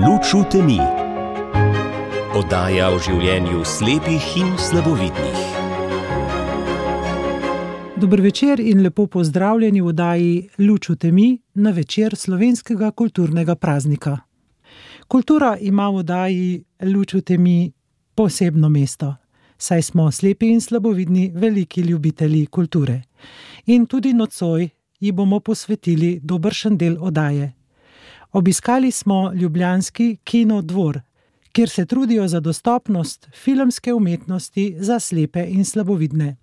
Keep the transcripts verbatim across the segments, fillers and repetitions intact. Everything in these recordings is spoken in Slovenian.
Luč v temi. Oddaja o življenju slepih in slabovidnih. Dober večer in lepo pozdravljeni v oddaji Luč v temi na večer slovenskega kulturnega praznika. Kultura ima v oddaji Luč v temi posebno mesto, saj smo slepi in slabovidni veliki ljubitelji kulture. In tudi nocoj ji bomo posvetili dobršen del oddaje. Obiskali smo ljubljanski Kino Dvor, kjer se trudijo za dostopnost filmske umetnosti za slepe in slabovidne.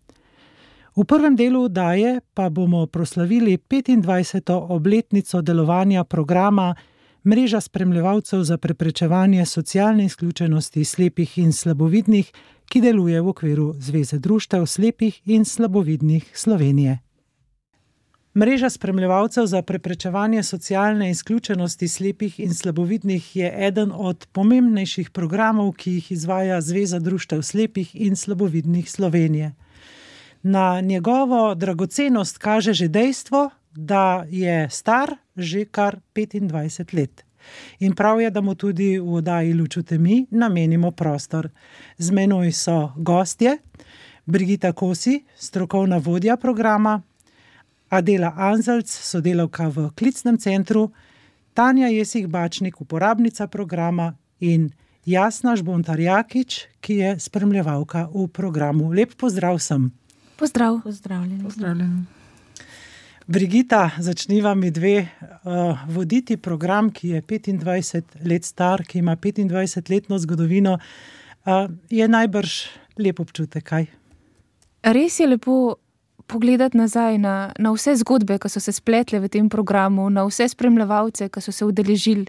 V prvem delu oddaje pa bomo proslavili petindvajseto obletnico delovanja programa Mreža spremljevalcev za preprečevanje socialne izključenosti slepih in slabovidnih, ki deluje v okviru Zveze društev slepih in slabovidnih Slovenije. Mreža spremljevalcev za preprečevanje socialne izključenosti slepih in slabovidnih je eden od pomembnejših programov, ki jih izvaja Zveza društev slepih in slabovidnih Slovenije. Na njegovo dragocenost kaže že dejstvo, da je star že kar petindvajset let. In prav je, da mu tudi v oddaji Luč v temi namenimo prostor. Z menoj so gostje, Brigita Kosi, strokovna vodja programa, Adela Anzelc, sodelavka v klicnem centru, Tanja Jesih-Bačnik, uporabnica programa in Jasna Žbontar-Jakič, ki je spremljevalka v programu. Lep pozdrav vsem. Pozdrav. Pozdravljeni. Pozdravljeni. Brigita, začniva mi dve uh, voditi program, ki je petindvajset let star, ki ima petindvajsetletno zgodovino. Uh, je najbrž lep občutek, kaj? Res je lepo pogledati nazaj na, na vse zgodbe, ki so se spletle v tem programu, na vse spremljevalce, ki so se udeležili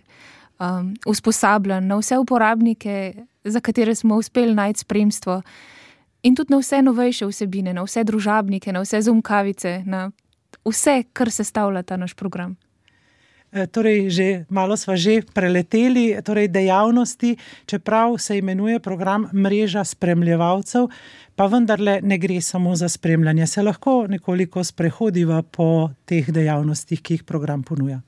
um, usposabljanj, na vse uporabnike, za katere smo uspeli najti spremstvo, in tudi na vse novejše vsebine, na vse družabnike, na vse zoomkavice, na vse, kar sestavlja ta naš program. E, torej, že malo sva že preleteli, torej dejavnosti, čeprav se imenuje program Mreža spremljevalcev, pa vendarle ne gre samo za spremljanje. Se lahko nekoliko sprehodiva po teh dejavnostih, ki jih program ponuja?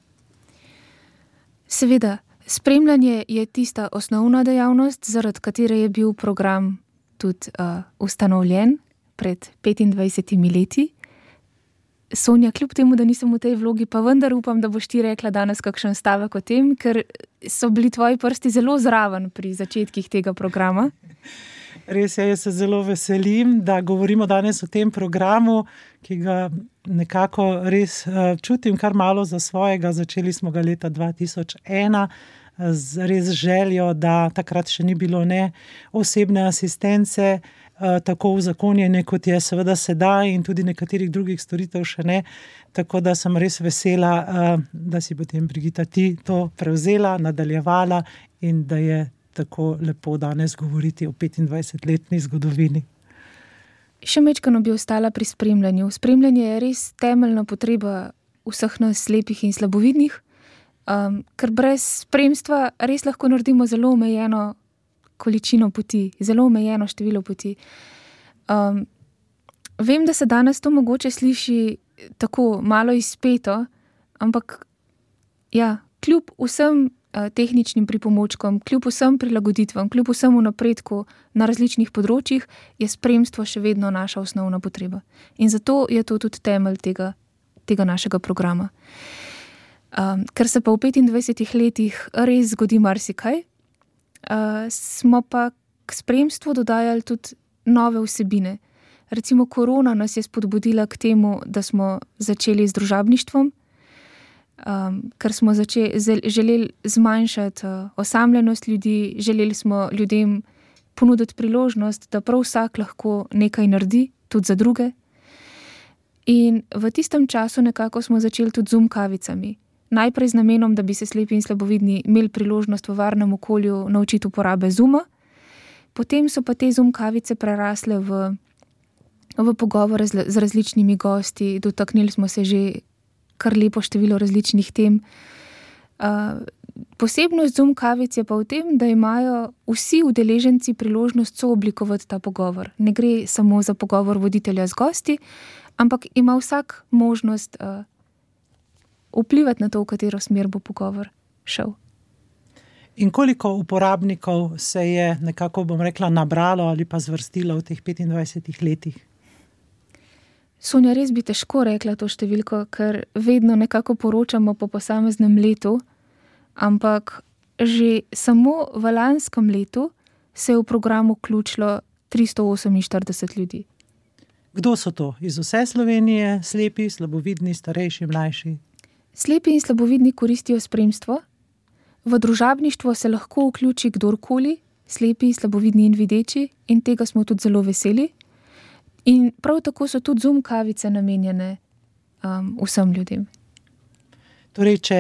Seveda, spremljanje je tista osnovna dejavnost, zaradi katere je bil program tudi uh, ustanovljen pred petindvajsetimi leti. Sonja, kljub temu, da nisem v tej vlogi, pa vendar upam, da boš ti rekla danes kakšen stavek o tem, ker so bili tvoji prsti zelo zraven pri začetkih tega programa. Res je, jaz se zelo veselim, da govorimo danes o tem programu, ki ga nekako res uh, čutim kar malo za svojega. Začeli smo ga leta dva tisoč ena z res željo, da takrat še ni bilo ne osebne asistence, uh, tako uzakonjene, kot je seveda sedaj, in tudi nekaterih drugih storitev še ne. Tako da sem res vesela, uh, da si potem, Brigita, ti to prevzela, nadaljevala in da je tako lepo danes govoriti o petindvajsetletni zgodovini. Še mečkano bi ostala pri spremljanju. Spremljanje je res temeljna potreba vseh nas slepih in slabovidnih, um, ker brez spremstva res lahko naredimo zelo omejeno količino poti, zelo omejeno število poti. Um, vem, da se danes to mogoče sliši tako malo izpeto, ampak ja, kljub vsem tehničnim pripomočkom, kljub vsem prilagoditvam, kljub vsemu napredku na različnih področjih, je spremstvo še vedno naša osnovna potreba. In zato je to tudi temelj tega, tega našega programa. Um, ker se pa v petindvajsetih letih res zgodi marsikaj, uh, smo pa k spremstvu dodajali tudi nove vsebine. Recimo korona nas je spodbudila k temu, da smo začeli z družabništvom, Um, ker smo zače, želeli zmanjšati uh, osamljenost ljudi, želeli smo ljudem ponuditi priložnost, da prav vsak lahko nekaj naredi, tudi za druge. In v tistem času nekako smo začeli tudi z zoomkavicami. Najprej z namenom, da bi se slepi in slabovidni imeli priložnost v varnem okolju naučiti uporabe Zooma, potem so pa te zoomkavice prerasle v, v pogovore z, z različnimi gosti, dotaknili smo se že kar lepo število različnih tem. Uh, posebnost Zoom kavic je pa v tem, da imajo vsi udeleženci priložnost sooblikovati ta pogovor. Ne gre samo za pogovor voditelja z gosti, ampak ima vsak možnost uh, vplivati na to, v katero smer bo pogovor šel. In koliko uporabnikov se je nekako, bom rekla, nabralo ali pa zvrstilo v teh petindvajsetih letih? Sonja, res bi težko rekla to številko, ker vedno nekako poročamo po posameznem letu, ampak že samo v lanskem letu se je v program vključilo tristo oseminštirideset ljudi. Kdo so to? Iz vse Slovenije, slepi, slabovidni, starejši, mlajši? Slepi in slabovidni koristijo spremstvo. V družabništvo se lahko vključi kdorkoli, slepi, slabovidni in videči, in tega smo tudi zelo veseli. In prav tako so tudi Zoom kavice namenjene um, vsem ljudem. Torej, če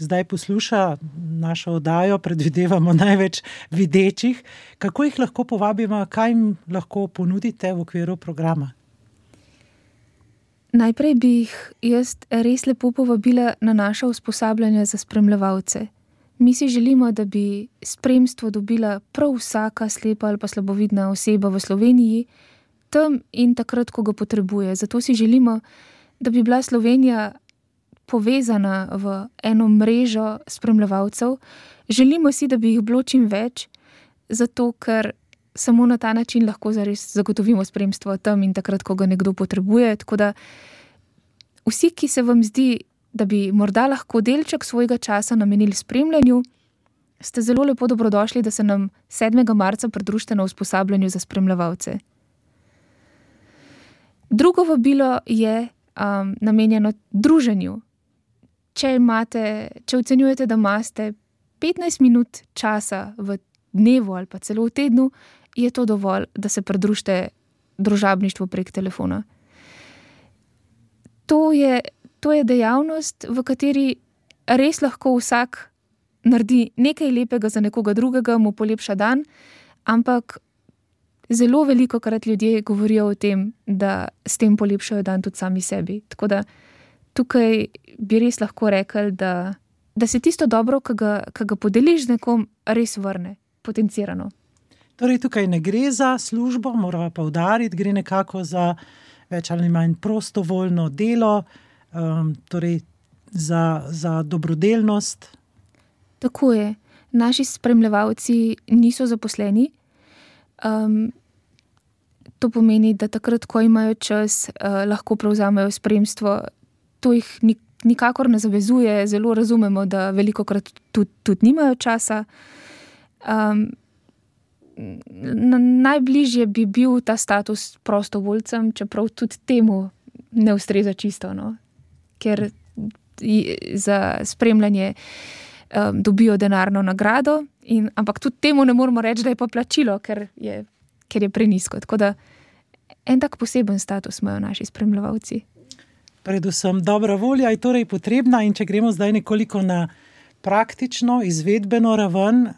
zdaj posluša našo oddajo, predvidevamo največ videčih, kako jih lahko povabimo, kaj jim lahko ponudite v okviru programa? Najprej bi jih jaz res lepo povabila na naša usposabljanja za spremljevalce. Mi si želimo, da bi spremstvo dobila prav vsaka slepa ali pa slabovidna oseba v Sloveniji, tam in takrat, ko ga potrebuje. Zato si želimo, da bi bila Slovenija povezana v eno mrežo spremljevalcev. Želimo si, da bi jih bilo čim več, zato ker samo na ta način lahko zares zagotovimo spremstvo tam in takrat, ko ga nekdo potrebuje. Tako da vsi, ki se vam zdi, da bi morda lahko delček svojega časa namenili spremljanju, ste zelo lepo dobrodošli, da se nam sedmega marca pridružite na usposabljanju za spremljevalce. Drugo vabilo je um, namenjeno druženju. Če imate, če ocenjujete, da imate petnajst minut časa v dnevu ali pa celo v tednu, je to dovolj, da se pridružite družabništvu prek telefona. To je, to je dejavnost, v kateri res lahko vsak naredi nekaj lepega za nekoga drugega, mu polepša dan, ampak zelo veliko krat ljudje govorijo o tem, da s tem polepšajo dan tudi sami sebi. Tako da tukaj bi res lahko rekli, da, da se tisto dobro, ki ga, ki ga podeliš z nekom, res vrne, potencirano. Torej, tukaj ne gre za službo, moramo poudariti, gre nekako za več ali manj prostovoljno delo, um, torej za, za dobrodelnost. Tako je. Naši spremljevalci niso zaposleni. Um, to pomeni, da takrat, ko imajo čas, uh, lahko prevzamejo spremstvo. To jih nikakor ne zavezuje, zelo razumemo, da velikokrat tudi, tudi nimajo časa. Um, najbližje bi bil ta status prostovoljcem, čeprav tudi temu ne ustreza čisto, no? Ker za spremljanje um, dobijo denarno nagrado, in, ampak tudi temu ne moramo reči, da je pa plačilo, ker je, ker je prenizko. Tako da en tak poseben status imajo naši spremljevalci. Predvsem dobra volja je torej potrebna, in če gremo zdaj nekoliko na praktično, izvedbeno raven,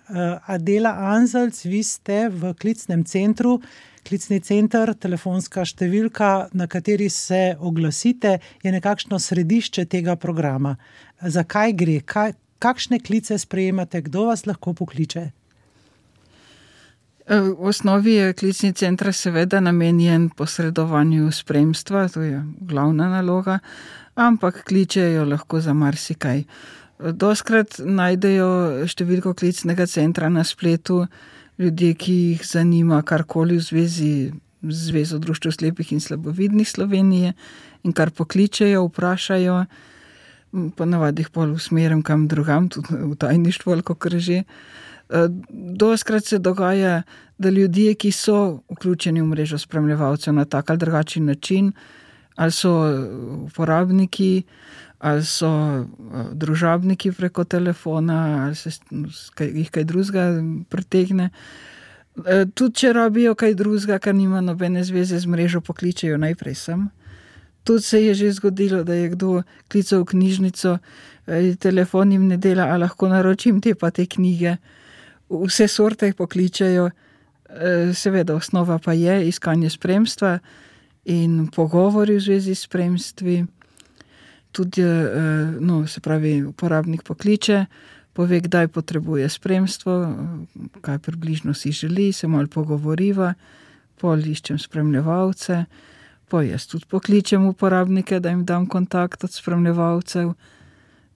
Adela Anzelc, vi ste v klicnem centru, klicni center, telefonska številka, na kateri se oglasite, je nekakšno središče tega programa. Zakaj gre? Kaj, kakšne klice sprejemate? Kdo vas lahko pokliče? V osnovi je klicni center seveda namenjen posredovanju spremstva, to je glavna naloga, ampak kličejo lahko za marsikaj. Doskrat najdejo številko klicnega centra na spletu ljudje, ki jih zanima karkoli v zvezi z Zvezo društev slepih in slabovidnih Slovenije, in kar pokličejo, vprašajo, ponavadi jih pol usmerim kam drugam, tudi v tajništvo ali kakor že. Doskrat se dogaja, da ljudje, ki so vključeni v mrežo spremljevalcev na tak ali drugačen način, ali so uporabniki, ali so družabniki preko telefona, ali se jih kaj drugega pritegne. Tudi če rabijo kaj drugega, kar nima nobene zveze z mrežo, pokličejo najprej sem. Tudi se je že zgodilo, da je kdo klical v knjižnico, telefon jim ne dela, a lahko naročim te pa te knjige. Vse sorte pokličejo, seveda osnova pa je iskanje spremstva in pogovori v zvezi s spremstvi. Tudi, no, se pravi, uporabnik pokliče, pove, kdaj potrebuje spremstvo, kaj približno si želi, se malo pogovoriva, pol iščem spremljevalce, po jaz tudi pokličem uporabnike, da jim dam kontakt od spremljevalcev,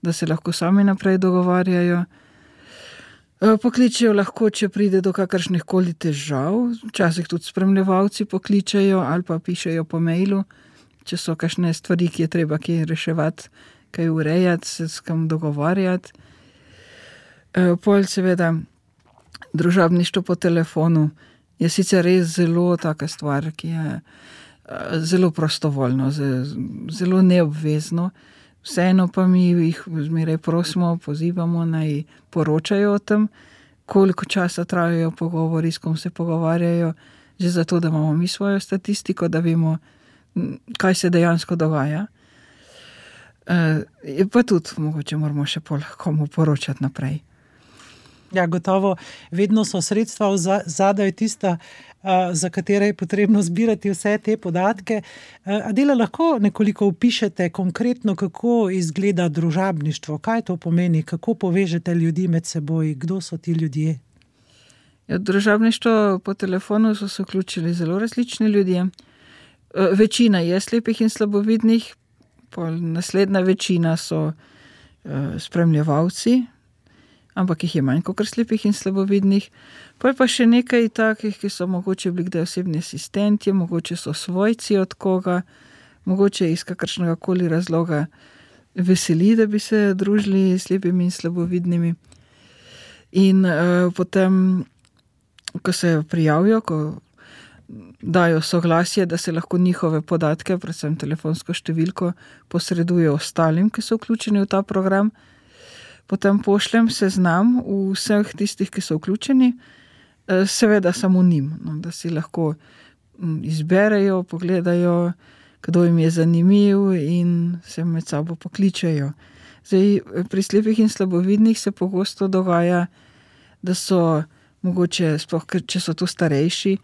da se lahko sami naprej dogovarjajo. Pokličejo lahko, če pride do kakršnih koli težav, včasih tudi spremljevalci pokličejo ali pa pišejo po mailu, če so kakšne stvari, ki je treba kaj reševati, kaj urejati, se s kam dogovarjati. Pol seveda družabništvo po telefonu je sicer res zelo taka stvar, ki je zelo prostovoljno, zelo neobvezno. Vseeno pa mi jih zmeraj prosimo, pozivamo, naj poročajo o tem, koliko časa trajajo pogovori, s kom se pogovarjajo, že zato, da imamo mi svojo statistiko, da vemo, kaj se dejansko dogaja. E, pa tudi mogoče moramo še pol komu poročati naprej. Ja, gotovo, vedno so sredstva zadaj tista, za katere je potrebno zbirati vse te podatke. Adela, lahko nekoliko opišete konkretno, kako izgleda družabništvo, kaj to pomeni, kako povežete ljudi med seboj, kdo so ti ljudje? Ja, družabništvo po telefonu so se vključili zelo različni ljudje. Večina je slepih in slabovidnih, pol naslednja večina so spremljevalci, ampak jih je manj kot slepih in slabovidnih. Pa je pa še nekaj takih, ki so mogoče bili kdaj osebni asistenti, mogoče so svojci od koga, mogoče iz kakršnega koli razloga veseli, da bi se družili s slepimi in slabovidnimi. In uh, potem, ko se prijavijo, ko dajo soglasje, da se lahko njihove podatke, predvsem telefonsko številko, posreduje ostalim, ki so vključeni v ta program, potem pošljem seznam vseh tistih, ki so vključeni, seveda samo njim, no, da si lahko izberejo, pogledajo, kdo jim je zanimiv in se med sabo pokličejo. Zdaj, pri slepih in slabovidnih se pogosto dogaja, da so mogoče, sploh če so tu starejši,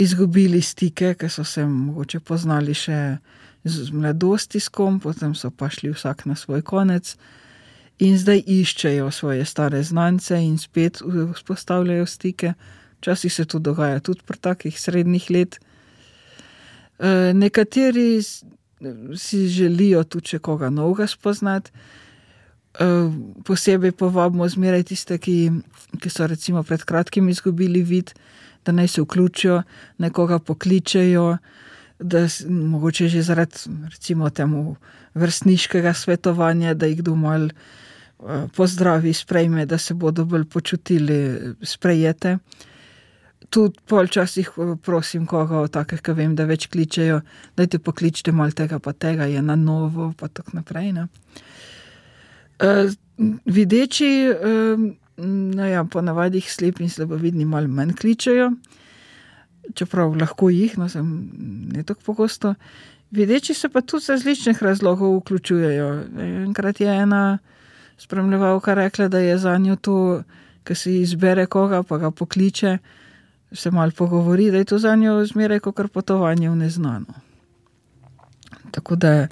izgubili stike, ker so se mogoče poznali še z mladosti s kom, potem so pa šli vsak na svoj konec, in zdaj iščejo svoje stare znance in spet vzpostavljajo stike. Včasih se to dogaja tudi pri takih srednjih let. E, nekateri si želijo tudi še koga novega spoznati. E, posebej povabimo zmeraj tiste, ki, ki so recimo pred kratkim izgubili vid, da naj se vključijo, naj koga pokličejo, da mogoče že zaradi recimo temu vrstniškega svetovanja, da jih kdo malo pozdravi, sprejme, da se bodo bolj počutili sprejete. Tudi pol časih prosim koga od takih, ki vem, da več kličejo, dajte pokličite malo tega pa tega, je na novo, pa tako naprej. Ne? E, videči, e, no ja, po navadih slepi in slabovidni malo manj kličejo, čeprav lahko jih, no sem ne tako pogosto. Videči se pa tudi z različnih razlogov vključujejo. Enkrat je ena spremljevalka rekla, da je zanjo to, ko si izbere koga, pa ga pokliče, se malo pogovori, da je to zanjo zmeraj kakor potovanje v neznano. Tako da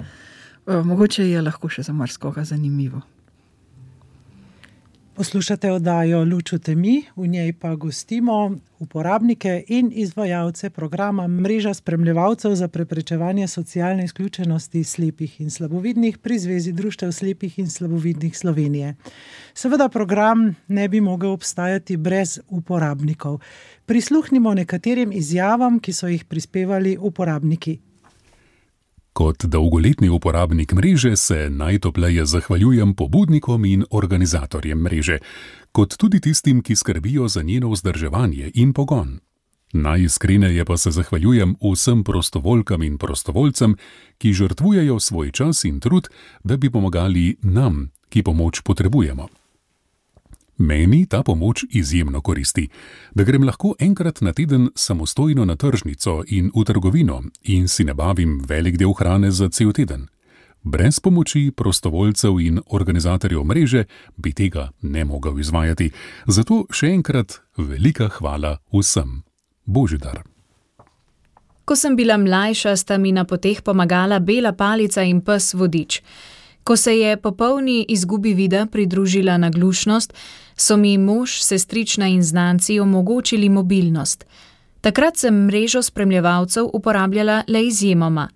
mogoče je lahko še za marsikoga zanimivo. Poslušate oddajo Luč v temi, v njej pa gostimo uporabnike in izvajalce programa Mreža spremljevalcev za preprečevanje socialne izključenosti slepih in slabovidnih pri Zvezi društev slepih in slabovidnih Slovenije. Seveda program ne bi mogel obstajati brez uporabnikov. Prisluhnimo nekaterim izjavam, ki so jih prispevali uporabniki. Kot dolgoletni uporabnik mreže se najtopleje zahvaljujem pobudnikom in organizatorjem mreže, kot tudi tistim, ki skrbijo za njeno vzdrževanje in pogon. Najiskreneje pa se zahvaljujem vsem prostovoljkam in prostovoljcem, ki žrtvujejo svoj čas in trud, da bi pomagali nam, ki pomoč potrebujemo. Meni ta pomoč izjemno koristi, da grem lahko enkrat na teden samostojno na tržnico in v trgovino in si nabavim velik del hrane za cel teden. Brez pomoči prostovoljcev in organizatorjev mreže bi tega ne mogel izvajati, zato še enkrat velika hvala vsem. Božidar. Ko sem bila mlajša, sta mi na poteh pomagala bela palica in pes Vodič. Ko se je po polni izgubi vida pridružila naglušnost, so mi mož, sestrična in znanci omogočili mobilnost. Takrat sem mrežo spremljevalcev uporabljala le izjemoma.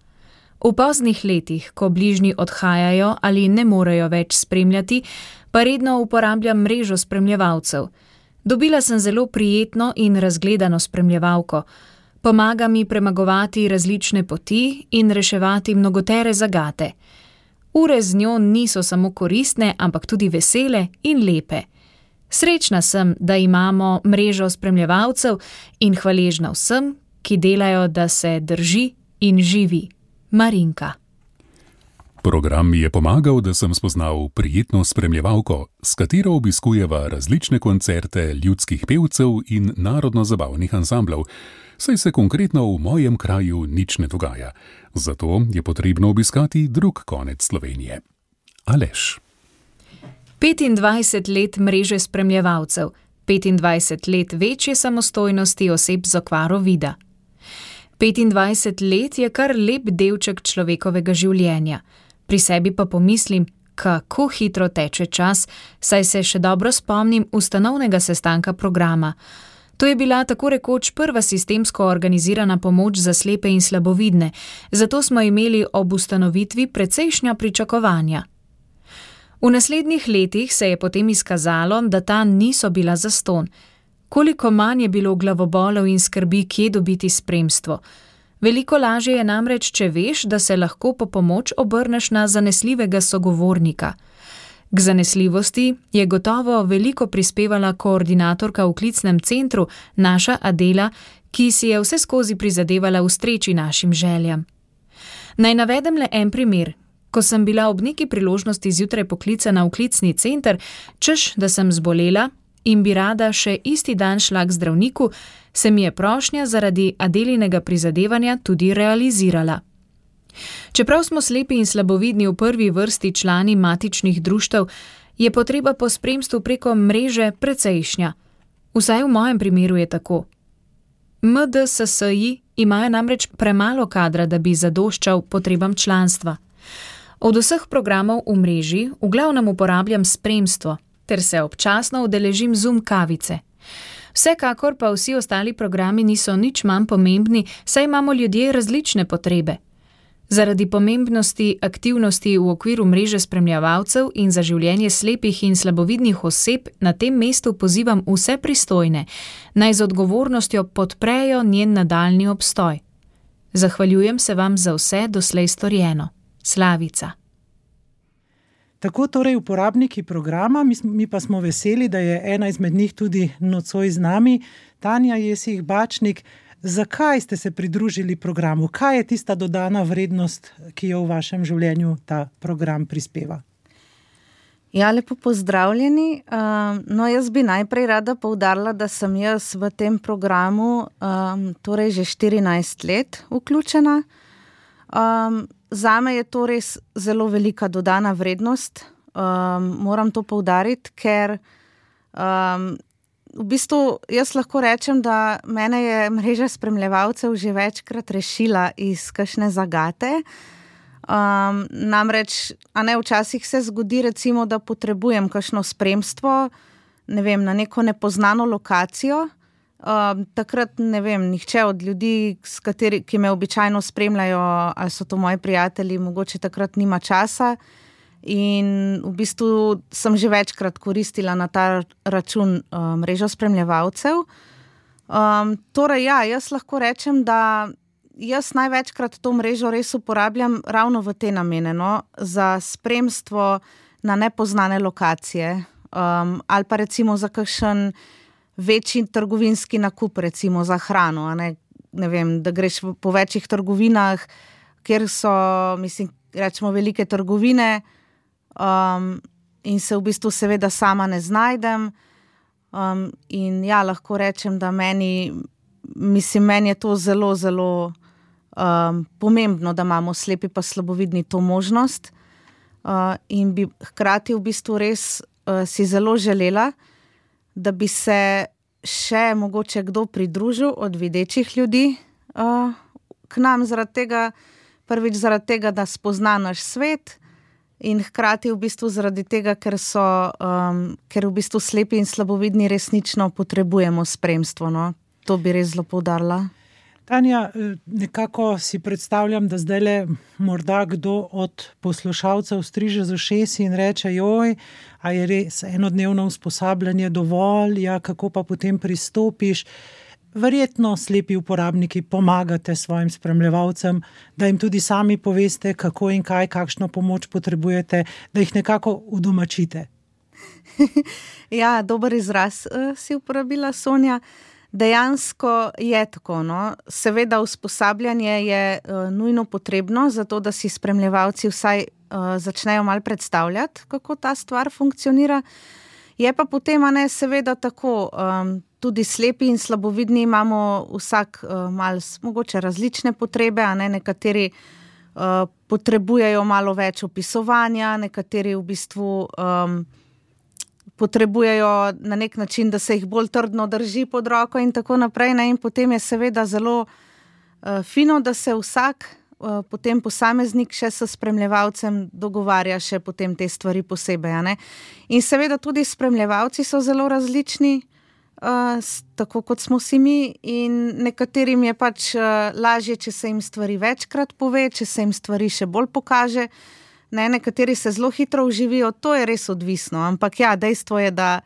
V poznih letih, ko bližnji odhajajo ali ne morejo več spremljati, pa redno uporabljam mrežo spremljevalcev. Dobila sem zelo prijetno in razgledano spremljevalko. Pomaga mi premagovati različne poti in reševati mnogotere zagate. Ure z njo niso samo koristne, ampak tudi vesele in lepe. Srečna sem, da imamo mrežo spremljevalcev in hvaležna vsem, ki delajo, da se drži in živi. Marinka. Program mi je pomagal, da sem spoznal prijetno spremljevalko, s katero obiskujeva različne koncerte ljudskih pevcev in narodno-zabavnih ansamblov, saj se konkretno v mojem kraju nič ne dogaja. Zato je potrebno obiskati drug konec Slovenije. Aleš. petindvajset let mreže spremljevalcev, petindvajset let večje samostojnosti oseb z okvaro vida. petindvajset let je kar lep delček človekovega življenja. Pri sebi pa pomislim, kako hitro teče čas, saj se še dobro spomnim ustanovnega sestanka programa. To je bila tako rekoč prva sistemsko organizirana pomoč za slepe in slabovidne, zato smo imeli ob ustanovitvi precejšnja pričakovanja. V naslednjih letih se je potem izkazalo, da ta niso bila zastonj. Koliko manj je bilo glavobolov in skrbi, kje dobiti spremstvo. Veliko lažje je namreč, če veš, da se lahko po pomoč obrneš na zanesljivega sogovornika. K zanesljivosti je gotovo veliko prispevala koordinatorka v klicnem centru, naša Adela, ki si je vse skozi prizadevala ustreči našim željam. Naj navedem le en primer. Ko sem bila ob neki priložnosti zjutraj poklicana v klicni center, češ, da sem zbolela in bi rada še isti dan šla k zdravniku, se mi je prošnja zaradi Adelinega prizadevanja tudi realizirala. Čeprav smo slepi in slabovidni v prvi vrsti člani matičnih društev, je potreba po spremstvu preko mreže precejšnja. Vsaj v mojem primeru je tako. M D S S-ji imajo namreč premalo kadra, da bi zadoščal potrebam članstva. Od vseh programov v mreži v glavnem uporabljam spremstvo, ter se občasno udeležim Zoom kavice. Vsekakor pa vsi ostali programi niso nič manj pomembni, saj imamo ljudje različne potrebe. Zaradi pomembnosti aktivnosti v okviru mreže spremljevalcev in za življenje slepih in slabovidnih oseb na tem mestu pozivam vse pristojne, naj z odgovornostjo podprejo njen nadaljnji obstoj. Zahvaljujem se vam za vse doslej storjeno. Slavica. Tako torej uporabniki programa, mi, mi pa smo veseli, da je ena izmed njih tudi nocoj z nami, Tanja Jesih Bačnik. Zakaj ste se pridružili programu? Kaj je tista dodana vrednost, ki jo v vašem življenju ta program prispeva? Ja, lepo pozdravljeni. Um, no, jaz bi najprej rada poudarila, da sem jaz v tem programu um, torej že štirinajst let vključena. Um, Zame je to res zelo velika dodana vrednost. Um, moram to poudariti, ker um, v bistvu jaz lahko rečem, da mene je mreža spremljevalcev že večkrat rešila iz kakšne zagate. Um, namreč, a ne, včasih se zgodi recimo, da potrebujem kakšno spremstvo, ne vem, na neko nepoznano lokacijo. Uh, takrat, ne vem, nihče od ljudi, s kateri, ki me običajno spremljajo, ali so to moji prijatelji, mogoče takrat nima časa in v bistvu sem že večkrat koristila na ta račun uh, mrežo spremljevalcev. Um, torej, ja, jaz lahko rečem, da jaz največkrat to mrežo res uporabljam ravno v te namene, no, za spremstvo na nepoznane lokacije um, ali pa recimo za kakšen večji trgovinski nakup, recimo za hrano, a ne, ne vem, da greš po večjih trgovinah, kjer so, mislim, rečemo velike trgovine um, in se v bistvu seveda sama ne znajdem. Um, in ja, lahko rečem, da meni, mislim, meni je to zelo, zelo um, pomembno, da imamo slepi pa slabovidni to možnost uh, in bi hkrati v bistvu res uh, si zelo želela, da bi se še mogoče kdo pridružil od videčih ljudi uh, k nam zaradi tega, prvič zaradi tega, da spozna naš svet in hkrati v bistvu zaradi tega, ker so, um, ker v bistvu slepi in slabovidni resnično potrebujemo spremstvo, no. To bi res zelo poudarila. Tanja, nekako si predstavljam, da zdaj le morda kdo od poslušalcev striže z ušesi in reče, joj, a je res enodnevno usposabljanje dovolj, ja, kako pa potem pristopiš. Verjetno slepi uporabniki pomagate svojim spremljevalcem, da jim tudi sami poveste, kako in kaj, kakšno pomoč potrebujete, da jih nekako udomačite. Ja, dober izraz uh, si uporabila, Sonja. Dejansko je tako, no. Seveda usposabljanje je uh, nujno potrebno, zato da si spremljevalci vsaj uh, začnejo malo predstavljati, kako ta stvar funkcionira. Je pa potem, a ne, seveda tako, um, tudi slepi in slabovidni imamo vsak uh, malo mogoče različne potrebe, a ne, nekateri uh, potrebujejo malo več opisovanja, nekateri v bistvu um, potrebujejo na nek način, da se jih bolj trdno drži pod roko in tako naprej, ne, in potem je seveda zelo uh, fino, da se vsak uh, potem posameznik še s spremljevalcem dogovarja še potem te stvari posebej, a ne. In seveda tudi spremljevalci so zelo različni, uh, tako kot smo si mi, in nekaterim je pač uh, lažje, če se jim stvari večkrat pove, če se jim stvari še bolj pokaže. Ne, nekateri se zelo hitro vživijo, to je res odvisno, ampak ja, dejstvo je, da,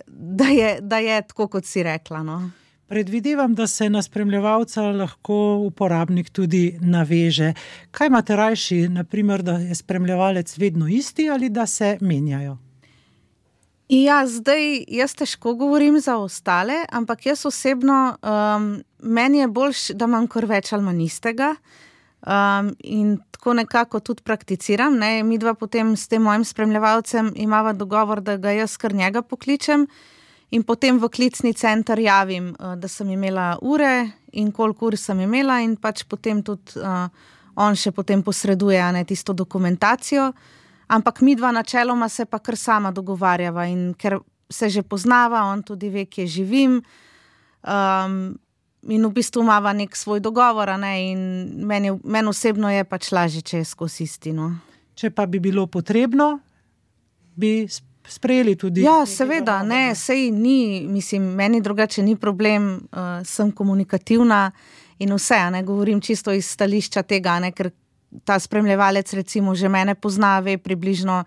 da je, da je tako, kot si rekla, no. Predvidevam, da se na spremljevalca lahko uporabnik tudi naveže. Kaj imate rajši, na primer, da je spremljevalec vedno isti ali da se menjajo? Ja, zdaj jaz težko govorim za ostale, ampak jaz osebno, um, meni je boljš, da imam kar več ali manj istega. Um, in tako nekako tudi prakticiram, ne, mi dva potem s tem mojim spremljevalcem imava dogovor, da ga jaz kar njega pokličem in potem v klicni center javim, uh, da sem imela ure in koliko ur sem imela in pač potem tudi uh, on še potem posreduje, ne, tisto dokumentacijo, ampak mi dva načeloma se pa kar sama dogovarjava in ker se že poznava, on tudi ve, kje živim, um, in v bistvu imava nek svoj dogovor, a ne, in meni, meni osebno je pač lažje, če je skozi isti, no. Če pa bi bilo potrebno, bi sprejeli tudi... Ja, seveda, ne, sej ni, mislim, meni drugače ni problem, uh, sem komunikativna in vse, a ne, govorim čisto iz stališča tega, ne, ker ta spremljevalec recimo že mene pozna, ve približno,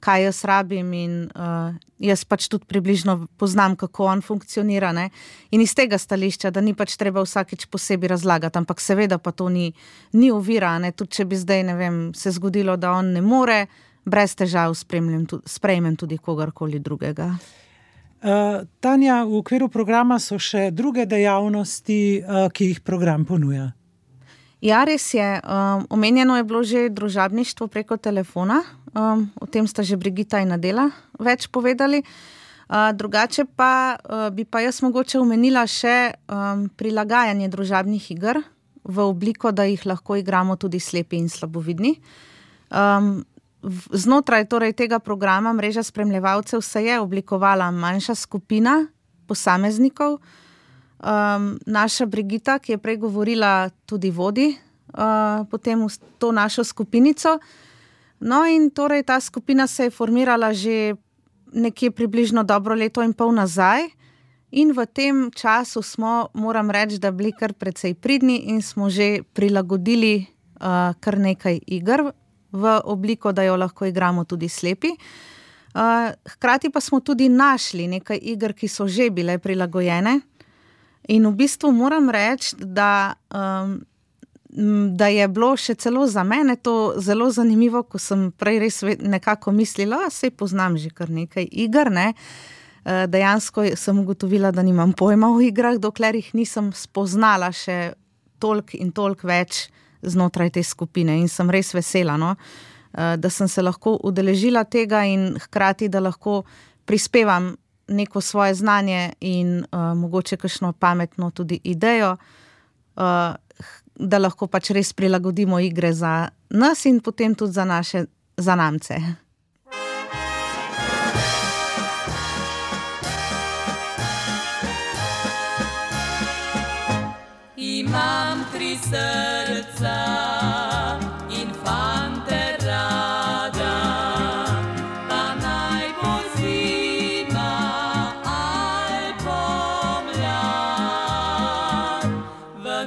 kaj jaz rabim in uh, jaz pač tudi približno poznam, kako on funkcionira, ne. In iz tega stališča, da ni pač treba vsakič posebej razlagati, ampak seveda pa to ni, ni ovira, ne, tudi če bi zdaj, ne vem, se zgodilo, da on ne more, brez težav sprejmem tudi kogarkoli drugega. Uh, Tanja, v okviru programa so še druge dejavnosti, uh, ki jih program ponuja. Ja, res je. Um, omenjeno je bilo že družabništvo preko telefona, um, o tem sta že Brigita in Adela več povedali. Uh, drugače pa uh, bi pa jaz mogoče omenila še um, prilagajanje družabnih iger v obliko, da jih lahko igramo tudi slepi in slabovidni. Um, znotraj torej tega programa Mreža spremljevalcev se je oblikovala manjša skupina posameznikov. Um, naša Brigita, ki je prej govorila, tudi vodi uh, potem v to našo skupinico. No in torej ta skupina se je formirala že nekje približno dobro leto in pol nazaj in v tem času smo, moram reči, da bili kar precej pridni in smo že prilagodili uh, kar nekaj iger v obliko, da jo lahko igramo tudi slepi. Uh, hkrati pa smo tudi našli nekaj iger, ki so že bile prilagojene. In v bistvu moram reči, da, um, da je bilo še celo za mene to zelo zanimivo, ko sem prej res nekako mislila, saj poznam že kar nekaj iger, ne. Dejansko sem ugotovila, da nimam pojma o igrah, dokler jih nisem spoznala še toliko in toliko več znotraj te skupine in sem res vesela, no, da sem se lahko udeležila tega in hkrati, da lahko prispevam neko svoje znanje in uh, mogoče kakšno pametno tudi idejo, uh, da lahko pač res prilagodimo igre za nas in potem tudi za naše zanamce. Imam tri srca in fante rada, pa naj bo zima ali pomlad, v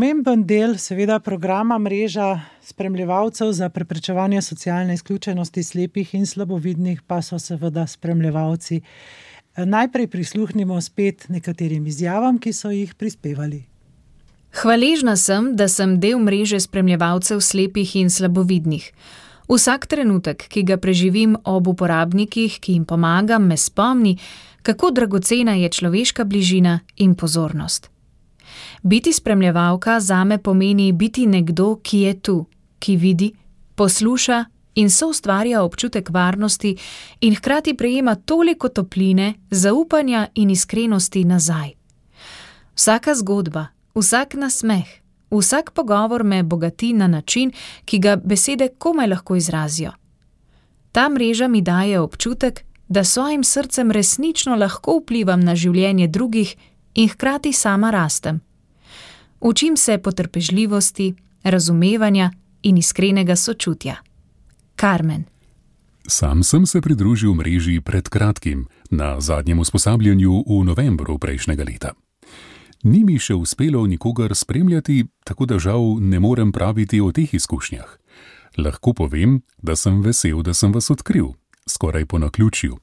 Pomemben del seveda programa mreža spremljevalcev za preprečevanje socialne izključenosti slepih in slabovidnih pa so seveda spremljevalci. Najprej prisluhnimo spet nekaterim izjavam, ki so jih prispevali. Hvaležna sem, da sem del mreže spremljevalcev slepih in slabovidnih. Vsak trenutek, ki ga preživim ob uporabnikih, ki jim pomagam, me spomni, kako dragocena je človeška bližina in pozornost. Biti spremljevalka zame pomeni biti nekdo, ki je tu, ki vidi, posluša in soustvarja občutek varnosti in hkrati prejema toliko topline, zaupanja in iskrenosti nazaj. Vsaka zgodba, vsak nasmeh, vsak pogovor me bogati na način, ki ga besede komaj lahko izrazijo. Ta mreža mi daje občutek, da svojim srcem resnično lahko vplivam na življenje drugih in hkrati sama rastem. Učim se potrpežljivosti, razumevanja in iskrenega sočutja. Carmen. Sam sem se pridružil mreži pred kratkim, na zadnjem usposabljanju v novembru prejšnjega leta. Ni mi še uspelo nikogar spremljati, tako da žal ne morem praviti o teh izkušnjah. Lahko povem, da sem vesel, da sem vas odkril, skoraj po naključju.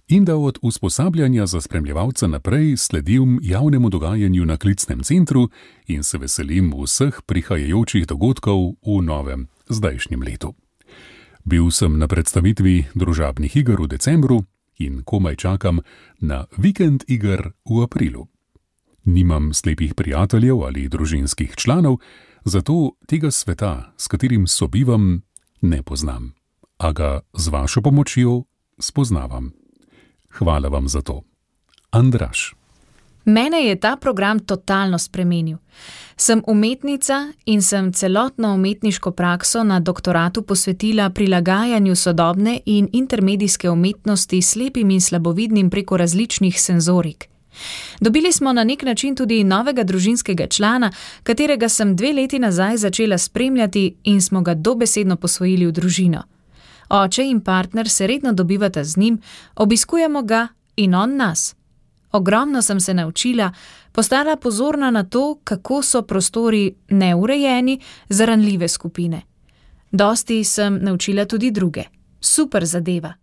In da od usposabljanja za spremljevalca naprej sledim javnemu dogajanju na klicnem centru in se veselim vseh prihajajočih dogodkov v novem, zdajšnjem letu. Bil sem na predstavitvi družabnih iger v decembru in komaj čakam na vikend iger v aprilu. Nimam slepih prijateljev ali družinskih članov, zato tega sveta, s katerim sobivam, ne poznam. A ga z vašo pomočjo spoznavam. Hvala vam za to. Andraž. Mene je ta program totalno spremenil. Sem umetnica in sem celotno umetniško prakso na doktoratu posvetila prilagajanju sodobne in intermedijske umetnosti slepim in slabovidnim preko različnih senzorik. Dobili smo na nek način tudi novega družinskega člana, katerega sem dve leti nazaj začela spremljati in smo ga dobesedno posvojili v družino. Oče in partner se redno dobivata z njim, obiskujemo ga in on nas. Ogromno sem se naučila, postala pozorna na to, kako so prostori neurejeni za ranljive skupine. Dosti sem naučila tudi druge. Super zadeva.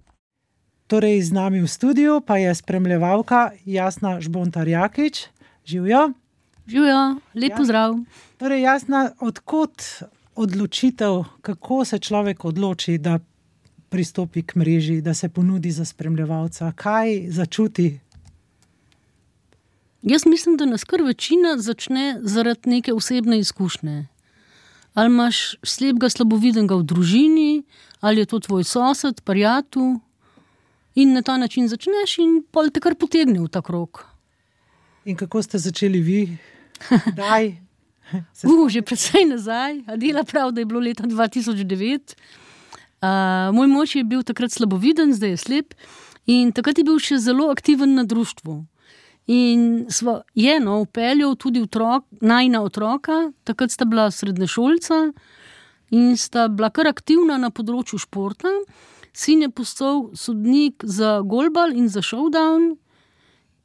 Torej, z nami v studiu pa je spremljevalka Jasna Žbontar-Jakič. Živjo? Živjo, lep pozdrav. Torej, Jasna, odkot odločitev, kako se človek odloči, da pristopi k mreži, da se ponudi za spremljevalca? Kaj začuti? Jaz mislim, da nas kar večina začne zaradi neke osebne izkušnje. Ali imaš slepega slabovidnega v družini, ali je to tvoj sosed, prijatelj, in na ta način začneš in pol te kar potegne v ta krog. In kako ste začeli vi? Daj? Uh, že precej nazaj. Adela prav, da je bilo leta dva tisoč devet. Uh, moj mož je bil takrat slaboviden, zdaj je slep, in takrat je bil še zelo aktiven na društvu. In sva je no, upeljal tudi otrok, najina otroka, takrat sta bila srednješolca in sta bila kar aktivna na področju športa. Sin je postal sodnik za golbal in za showdown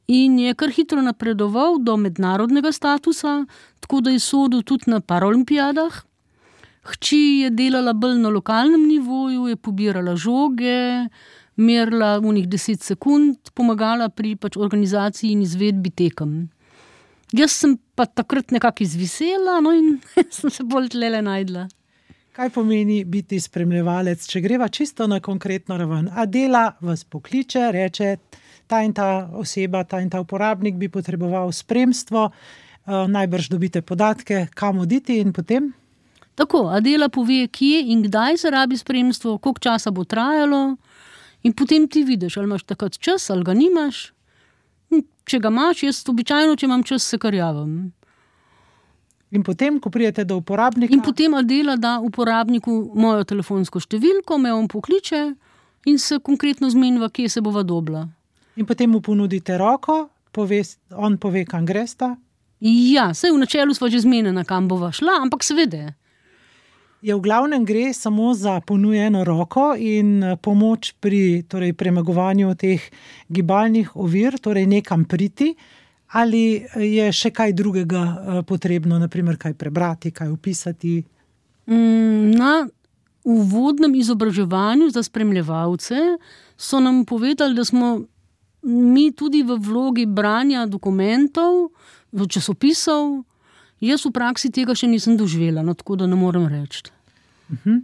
in je kar hitro napredoval do mednarodnega statusa, tako da je sodil tudi na paralimpijadah. Hči je delala bolj na lokalnem nivoju, je pobirala žoge, merila unih deset sekund, pomagala pri pač organizaciji in izvedbi tekem. Jaz sem pa takrat nekako izvisela, no in sem se bolj tlele najdla. Kaj pomeni biti spremljevalec, če greva čisto na konkretno raven? Adela vas pokliče, reče, ta in ta oseba, ta in ta uporabnik bi potreboval spremstvo, najbrž dobite podatke, kam oditi in potem? Tako, Adela pove, kje in kdaj se rabi spremstvo, koliko časa bo trajalo in potem ti vidiš, ali imaš takrat čas, ali ga nimaš. Če ga imaš, jaz običajno, če imam čas, se kar javim. In potem, ko pridete do uporabnika? In potem Adela da uporabniku mojo telefonsko številko, me on pokliče in se konkretno zmeniva, kje se bova dobila. In potem mu ponudite roko, pove, on pove, kam gresta? Ja, saj v načelu sva že zmenjena, kam bova šla, ampak seveda. Je v glavnem gre samo za ponujeno roko in pomoč pri torej, premagovanju teh gibalnih ovir, torej nekam priti, Ali je še kaj drugega potrebno, naprimer kaj prebrati, kaj opisati? Na uvodnem izobraževanju za spremljevalce so nam povedali, da smo mi tudi v vlogi branja dokumentov, časopisov. Jaz v praksi tega še nisem doživela, no, tako da ne morem reči. Uh-huh.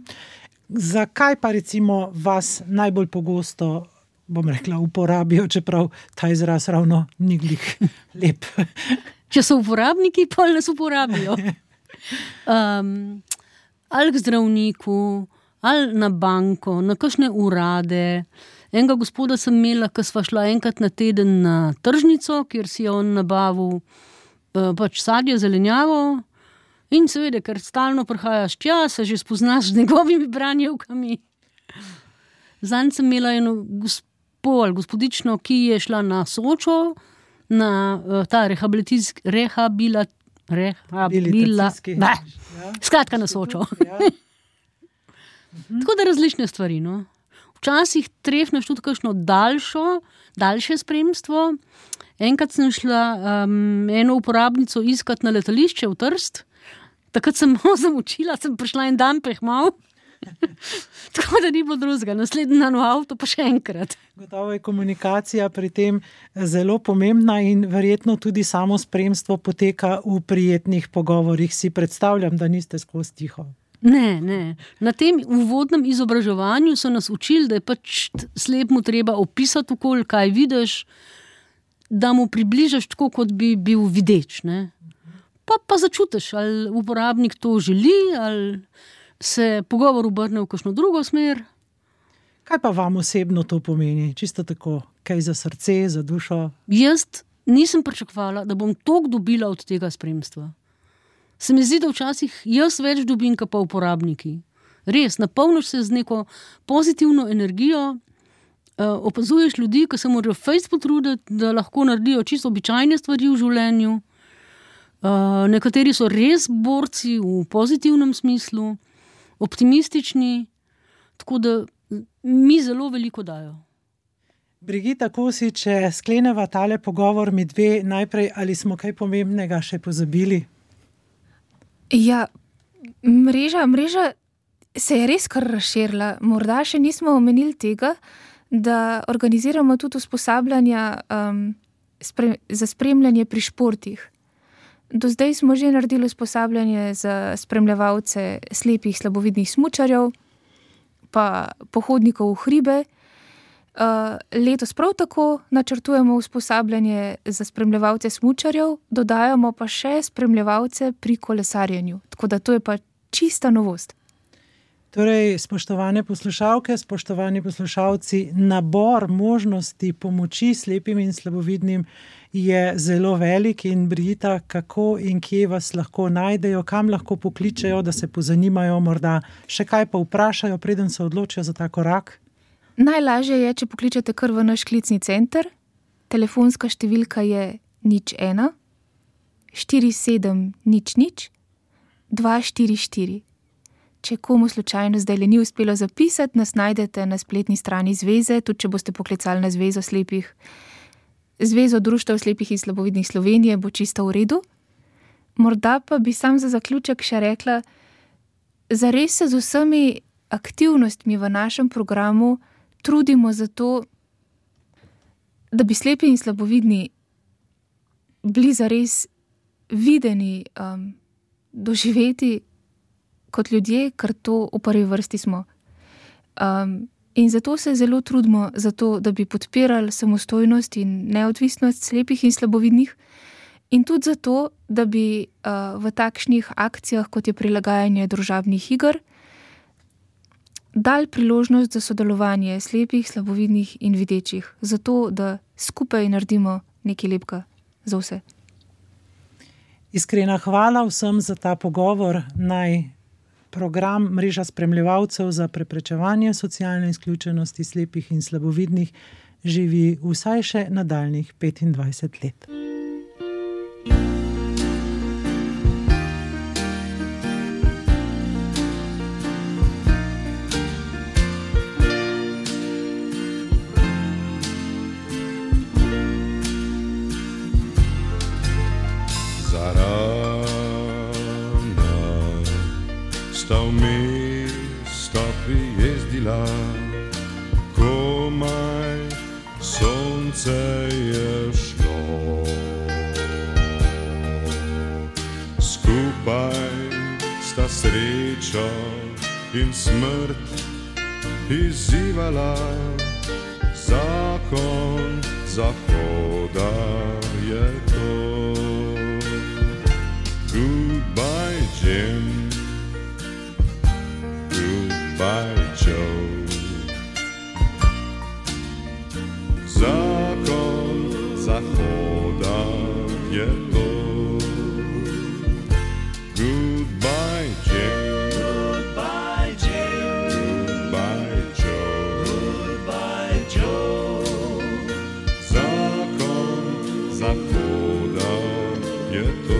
Zakaj pa recimo vas najbolj pogosto, bom rekla, uporabijo, čeprav ta izraz ravno ni glih lep? Če so uporabniki, pa nas uporabijo. Um, ali k zdravniku, ali na banko, na kakšne urade. Enega gospoda sem imela, ko sva šla enkrat na teden na tržnico, kjer si je on nabavil uh, pač sadje, zelenjavo. In seveda, ker stalno prihajaš tja, se že spoznaš z njegovimi branjevkami. Zanj sem imela eno gospo ali gospodično, ki je šla na Sočo, na uh, ta rehabilitacijski, rehabila, rehabila, ne, ja. Skratka na Sočo. Ja. Mhm. Tako da različne stvari, no. Včasih trefneš tudi kakšno daljšo, daljše spremstvo. Enkrat sem šla um, eno uporabnico iskat na letališče v Trst. Takrat sem malo zamučila, sem prišla en dan prehmal. Tako da ni bilo drugega. Naslednji dan v avto pa še enkrat. Gotovo je komunikacija pri tem zelo pomembna in verjetno tudi samo spremstvo poteka v prijetnih pogovorih. Si predstavljam, da niste skozi tiho. Ne, ne. Na tem uvodnem izobraževanju so nas učili, da je pač slepemu treba opisati okolje, kaj vidiš, da mu približaš tako, kot bi bil videč, ne. Pa, pa začutiš, ali uporabnik to želi, ali se pogovor obrne v kakšno drugo smer. Kaj pa vam osebno to pomeni? Čisto tako, kaj za srce, za dušo? Jaz nisem pričakovala, da bom toliko dobila od tega spremstva. Se mi zdi, da včasih jaz več dobim, kot pa uporabniki. Res, napolniš se z neko pozitivno energijo, opazuješ ljudi, ki se morajo fejst potruditi, da lahko naredijo čisto običajne stvari v življenju. Uh, nekateri so res borci v pozitivnem smislu, optimistični, tako da mi zelo veliko dajo. Brigita Kosič, če skleneva tale pogovor mi dve, najprej, ali smo kaj pomembnega še pozabili? Ja, mreža, mreža se je res kar razširila. Morda še nismo omenili tega, da organiziramo tudi usposabljanja um, spre, za spremljanje pri športih. Do zdaj smo že naredili usposabljanje za spremljevalce slepih, slabovidnih smučarjev, pa pohodnikov v hribe. Letos prav tako načrtujemo usposabljanje za spremljevalce smučarjev, dodajamo pa še spremljevalce pri kolesarjenju. Tako da to je pa čista novost. Torej, spoštovane poslušalke, spoštovani poslušalci, nabor možnosti pomoči slepim in slabovidnim je zelo velik in Brigita, kako in kje vas lahko najdejo, kam lahko pokličejo, da se pozanimajo, morda še kaj pa vprašajo, preden se odločijo za ta korak? Najlažje je, če pokličete kar v naš klicni center. Telefonska številka je nič ena, štiri sedem nič nič, dva štiri štiri. Če komu slučajno zdaj le ni uspelo zapisati, nas najdete na spletni strani zveze, tudi če boste poklicali na Zvezo slepih. Zvezo društev slepih in slabovidnih Slovenije bo čisto v redu. Morda pa bi sam za zaključek še rekla, zares se z vsemi aktivnostmi v našem programu trudimo za to, da bi slepi in slabovidni bili zares videni, um, doživeti kot ljudje, ker to v prvi vrsti smo. Um, in zato se zelo trudimo za to, da bi podpirali samostojnost in neodvisnost slepih in slabovidnih, in tudi zato, da bi uh, v takšnih akcijah, kot je prilagajanje družabnih iger, dali priložnost za sodelovanje slepih, slabovidnih in videčih, zato da skupaj naredimo nekaj lepega za vse. Iskrena hvala vsem za ta pogovor. Naj program Mreža spremljevalcev za preprečevanje socialne izključenosti slepih in slabovidnih živi vsaj še nadaljnjih petindvajset let. sonce je šlo. Skupaj sta sreča in smrt izzivala, zakon zahoda je to. Goodbye Jim, goodbye Joe. Zakon zahoda je to. Goodbye Jim, goodbye Jim, goodbye Joe, goodbye Joe. Zakon zahoda je to.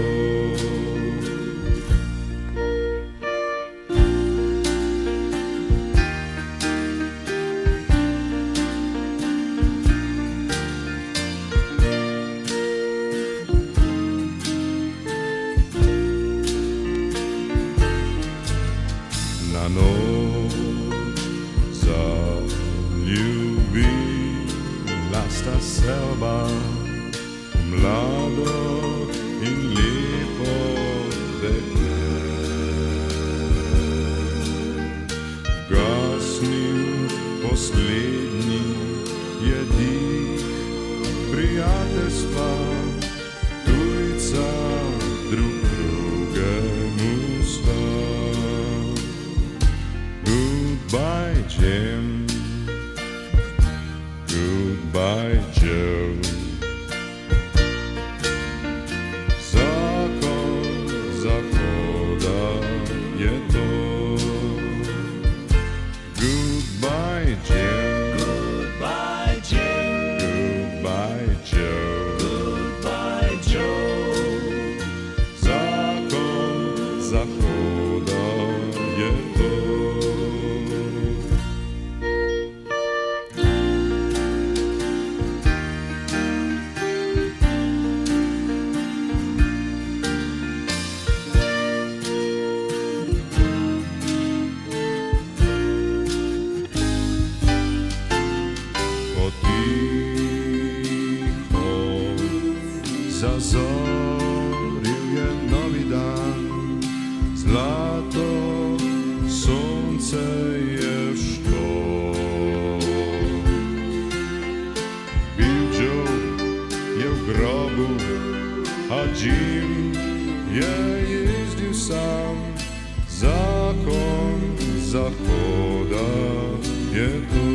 Selba, mlado in lepo dekle. Gasnil poslednji je dih prijateljstva, tujca drug drugemu sta. Goodbye Jim, goodbye Joe. Zakon zahoda je to. Goodbye Jim, goodbye Jim, goodbye Joe, goodbye Joe. Zakon zahoda je to. Zazoril je novi dan, zlato sonce je šlo. Bill Joe je v grobu, a Jim je jezdil sam. Zakon zahoda je to.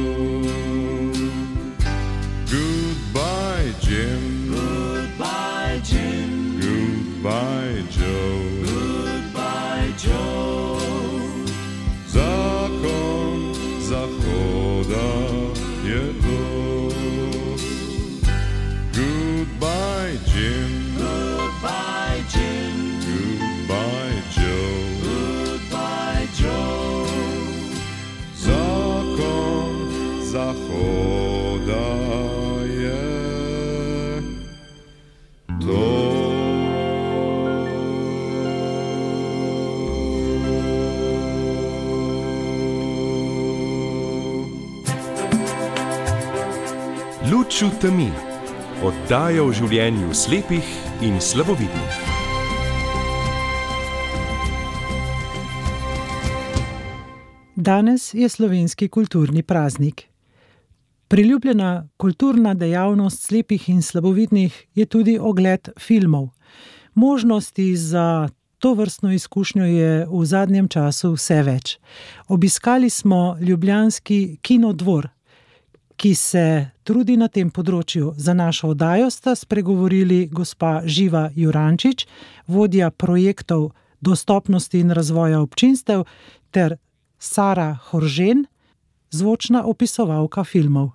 Goodbye Jim, goodbye Jim, goodbye Joe, goodbye Joe. Zakon zahoda je to. Goodbye Jim, goodbye Jim, goodbye Joe, goodbye Joe. Zakon zahoda je to. Luč v temi, oddaja o življenju slepih in slabovidnih. Danes je slovenski kulturni praznik. Priljubljena kulturna dejavnost slepih in slabovidnih je tudi ogled filmov. Možnosti za tovrstno izkušnjo je v zadnjem času vse več. Obiskali smo ljubljanski Kinodvor, ki se trudi na tem področju. Za našo oddajo sta spregovorili gospa Živa Jurančič, vodja projektov dostopnosti in razvoja občinstev, ter Sara Horžen, zvočna opisovalka filmov.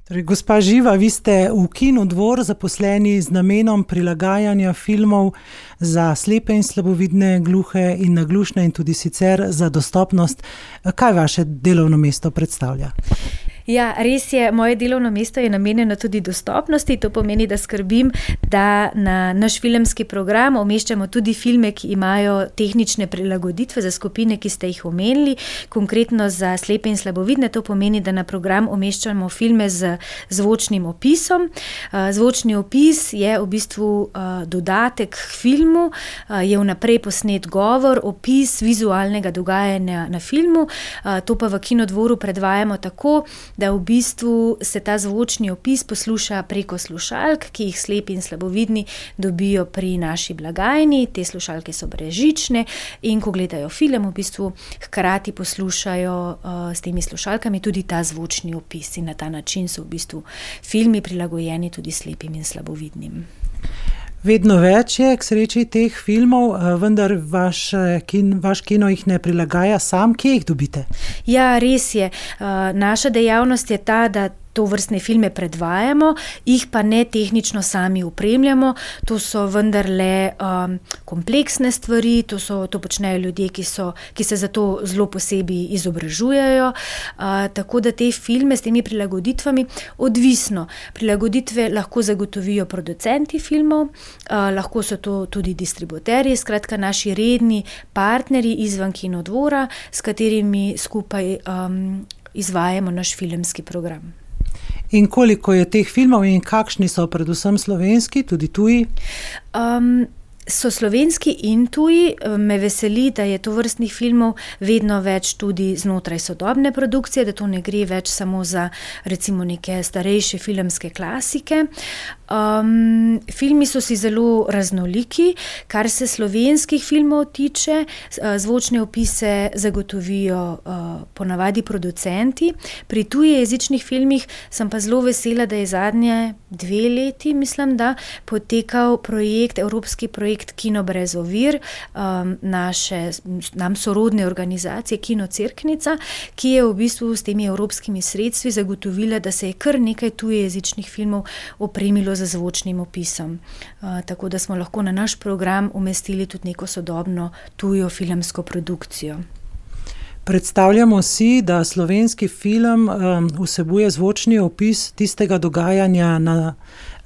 Torej, gospa Živa, vi ste v Kinodvor zaposleni z namenom prilagajanja filmov za slepe in slabovidne, gluhe in naglušne in tudi sicer za dostopnost. Kaj vaše delovno mesto predstavlja? Ja, res je, moje delovno mesto je namenjeno tudi dostopnosti, to pomeni, da skrbim, da na naš filmski program umeščamo tudi filme, ki imajo tehnične prilagoditve za skupine, ki ste jih omenili, konkretno za slepe in slabovidne, to pomeni, da na program umeščamo filme z zvočnim opisom. Zvočni opis je v bistvu dodatek k filmu, je vnaprej posnet govor, opis vizualnega dogajanja na filmu, to pa v Kinodvoru predvajamo tako, da v bistvu se ta zvočni opis posluša preko slušalk, ki jih slepi in slabovidni dobijo pri naši blagajni. Te slušalke so brezžične in ko gledajo film, v bistvu hkrati poslušajo uh, s temi slušalkami tudi ta zvočni opis in na ta način so v bistvu filmi prilagojeni tudi slepim in slabovidnim. Vedno več je k sreči teh filmov, vendar vaš, kin, vaš kino jih ne prilagaja sam. Kje jih dobite? Ja, res je. Naša dejavnost je ta, da to vrstne filme predvajamo, jih pa ne tehnično sami opremljamo. To so vendarle um, kompleksne stvari, to, so, to počnejo ljudje, ki, so, ki se za to zelo posebej izobražujejo. Uh, tako da te filme s temi prilagoditvami odvisno. Prilagoditve lahko zagotovijo producenti filmov, uh, lahko so to tudi distributerji, skratka naši redni partnerji izven Kinodvora, s katerimi skupaj um, izvajamo naš filmski program. In koliko je teh filmov in kakšni so predvsem slovenski, tudi tuji? Um, so slovenski in tuji. Me veseli, da je to vrstnih filmov vedno več tudi znotraj sodobne produkcije, da to ne gre več samo za recimo neke starejše filmske klasike. Um, filmi so si zelo raznoliki, kar se slovenskih filmov tiče, zvočne opise zagotovijo uh, ponavadi producenti. Pri tujejezičnih filmih sem pa zelo vesela, da je zadnje dve leti, mislim, da potekal projekt, evropski projekt Kino brez ovir, um, naše, nam sorodne organizacije Kino Cerknica, ki je v bistvu s temi evropskimi sredstvi zagotovila, da se je kar nekaj tujejezičnih filmov opremilo za zvočnim opisom. Uh, tako da smo lahko na naš program umestili tudi neko sodobno tujo filmsko produkcijo. Predstavljamo si, da slovenski film um, vsebuje zvočni opis tistega dogajanja na